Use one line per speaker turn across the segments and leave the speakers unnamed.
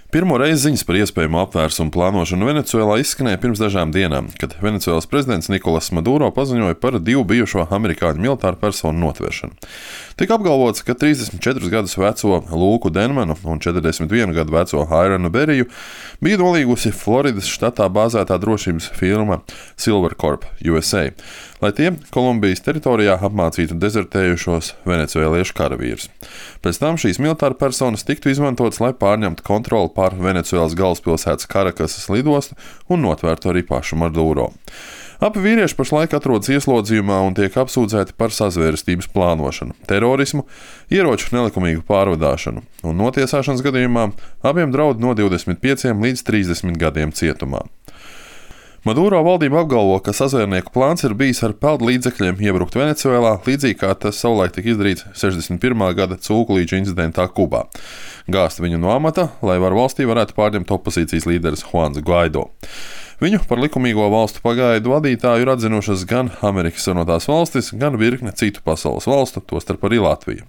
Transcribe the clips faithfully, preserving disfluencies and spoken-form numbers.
Pirmo reizi ziņas par iespējamu apvērsumu plānošanu Venecuēlā izskanēja pirms dažām dienām, kad Venecuēlas prezidents Nikolas Maduro paziņoja par divu bijušo amerikāņu militāru personu notvēršanu. Tika apgalvots, ka trīsdesmit četrus gadus veco Lūku Denmanu un četrdesmit vienu gadu veco Hairanu Beriju bija nolīgusi Floridas štatā bāzētā drošības firma Silvercorp U S A, lai tie Kolumbijas teritorijā apmācītu dezertējušos venecuēliešu karavīrus. Pēc tam šīs militāra personas tiktu izmantotas, lai pārņemtu kontroli pār Venecuēlas galvaspilsētas Karakasas lidostu un notvērtu arī pašu Maduro. Abi vīrieši pašlaik atrodas ieslodzījumā un tiek apsūdzēti par sazvērestības plānošanu, terorismu, ieroču nelikumīgu pārvadāšanu, un notiesāšanas gadījumā abiem draud no divdesmit pieciem līdz trīsdesmit gadiem cietumā. Maduro valdība apgalvo, ka sazvērnieku plāns ir bijis ar peldu līdzekļiem iebrukt Venecuēlā, līdzīgi kā tas savulaik tika izdarīts sešdesmit pirmā gada cūkulīču incidentā Kubā. Gāzt viņu no amata, lai var valstī varētu pārņemt opozīcijas līderis Juans Guaido. Viņu par likumīgo valstu pagaidu vadītāju ir atzinušas gan Amerikas Savienotās valstis, gan virkne citu pasaules valstu, tostarp arī Latvija.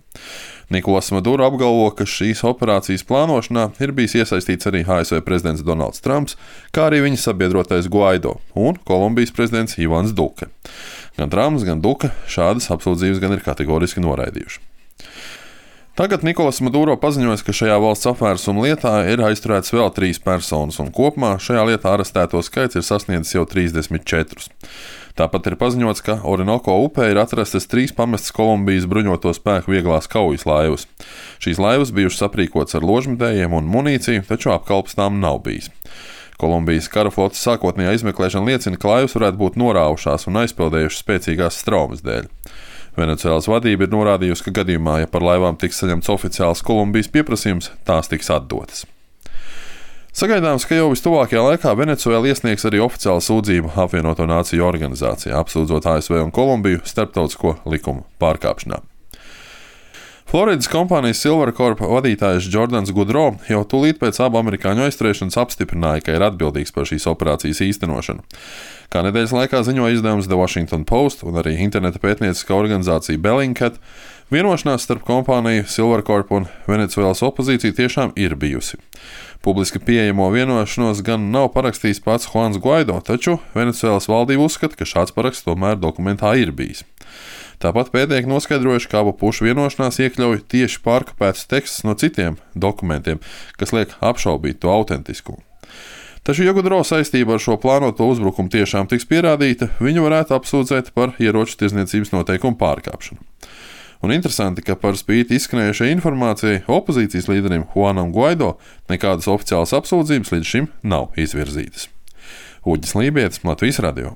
Nikolas Maduro apgalvo, ka šīs operācijas plānošanā ir bijis iesaistīts arī A S V prezidents Donalds Trumps, kā arī viņa sabiedrotais Guaido un Kolumbijas prezidents Ivans Duque. Gan Trumps, gan Duque šādas apsūdzības gan ir kategoriski noraidījuši. Tagad Nikolas Maduro paziņoja, ka šajā valsts apvērsuma lietā ir aizturēts vēl trīs personas, un kopumā šajā lietā arestēto skaits ir sasniedzis jau trīsdesmit četrus. Tāpat ir paziņots, ka Orinoko upē ir atrastas trīs pamestas Kolumbijas bruņoto spēku vieglās kaujas laivas. Šīs laivas bijušas aprīkotas ar ložmetējiem un munīciju, taču apkalpes tām nav bijis. Kolumbijas karaflotes sākotnējā izmeklēšana liecina, ka laivas varētu būt norāvušās un aizpeldējušas spēcīgās straumes dēļ. Venecuēlas vadība ir norādījusi, ka gadījumā, ja par laivām tiks saņemts oficiāls Kolumbijas pieprasījums, tās tiks atdotas. Sagaidāms, ka jau vistuvākajā laikā Venecuēla iesniegs arī oficiālu sūdzību Apvienoto Nāciju organizācijā, apsūdzot A S V un Kolumbiju starptautisko likumu pārkāpšanā. Floridas kompānijas Silvercorp vadītājs Jordans Goodrow jau tūlīt pēc abu amerikāņu aizturēšanas apstiprināja, ka ir atbildīgs par šīs operācijas īstenošanu. Kā nedēļas laikā ziņoja izdevums The Washington Post un arī interneta pētnieciskā organizācija Bellingcat, vienošanās starp kompāniju Silvercorp un Venecuēlas opozīciju tiešām ir bijusi. Publiski pieejamo vienošanos gan nav parakstījis pats Juans Guaido, taču Venecuēlas valdība uzskata, ka šāds paraksts tomēr dokumentā ir bijis. Tāpat pētnieki noskaidrojuši, ka abu pušu vienošanās iekļauj tieši pārkopētus tekstus no citiem dokumentiem, kas liek apšaubīt to autentiskumu. Taču, ja Goodrow saistība ar šo plānoto uzbrukumu tiešām tiks pierādīta, viņu varētu apsūdzēt par ieroču tirdzniecības noteikumu pārkāpšanu. Un interesanti, ka par spīti izskanējušai informācijai opozīcijas līderim Juanam Guaido nekādas oficiālas apsūdzības līdz šim nav izvirzītas. Uģis Lībietis, Latvijas radio.